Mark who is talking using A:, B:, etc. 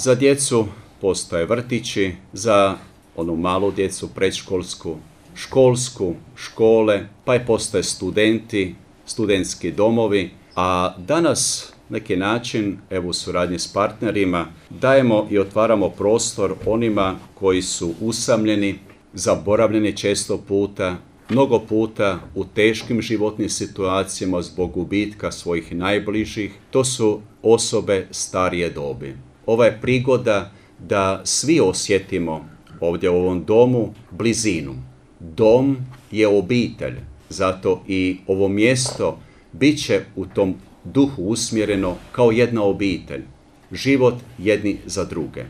A: Za djecu postoje vrtići, za onu malu djecu predškolsku, školsku, škole, pa i postoje studenti, studentski domovi, a danas neki način, evo u suradnji s partnerima, dajemo i otvaramo prostor onima koji su usamljeni, zaboravljeni često puta, mnogo puta u teškim životnim situacijama zbog gubitka svojih najbližih. To su osobe starije dobi. Ova je prigoda da svi osjetimo ovdje u ovom domu blizinu. Dom je obitelj, zato i ovo mjesto bit će u tom duhu usmjereno kao jedna obitelj. Život jedni za druge.